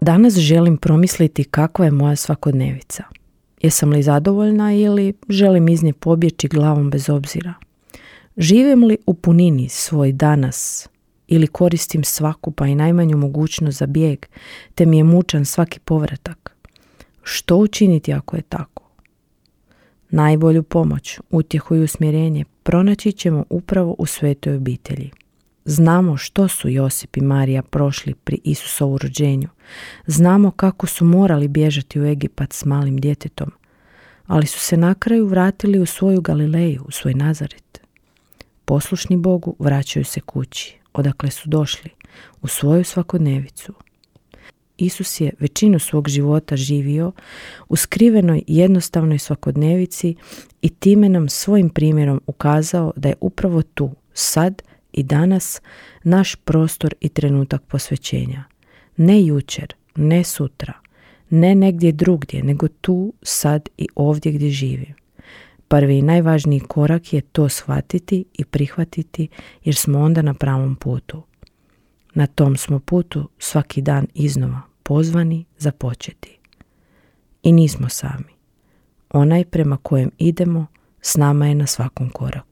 Danas želim promisliti kakva je moja svakodnevica. Jesam li zadovoljna ili želim iz nje pobjeći glavom bez obzira? Živim li u punini svoj danas ili koristim svaku pa i najmanju mogućnost za bijeg, te mi je mučan svaki povratak? Što učiniti ako je tako? Najbolju pomoć, utjehu i usmjerenje pronaći ćemo upravo u svetoj obitelji. Znamo što su Josip i Marija prošli pri Isusovu rođenju. Znamo kako su morali bježati u Egipat s malim djetetom, ali su se na kraju vratili u svoju Galileju, u svoj Nazaret. Poslušni Bogu vraćaju se kući, odakle su došli, u svoju svakodnevicu. Isus je većinu svog života živio u skrivenoj jednostavnoj svakodnevici i time nam svojim primjerom ukazao da je upravo tu, sad i danas, naš prostor i trenutak posvećenja. Ne jučer, ne sutra, ne negdje drugdje, nego tu, sad i ovdje gdje živim. Prvi i najvažniji korak je to shvatiti i prihvatiti, jer smo onda na pravom putu. Na tom smo putu svaki dan iznova pozvani započeti. I nismo sami. Onaj prema kojem idemo s nama je na svakom koraku.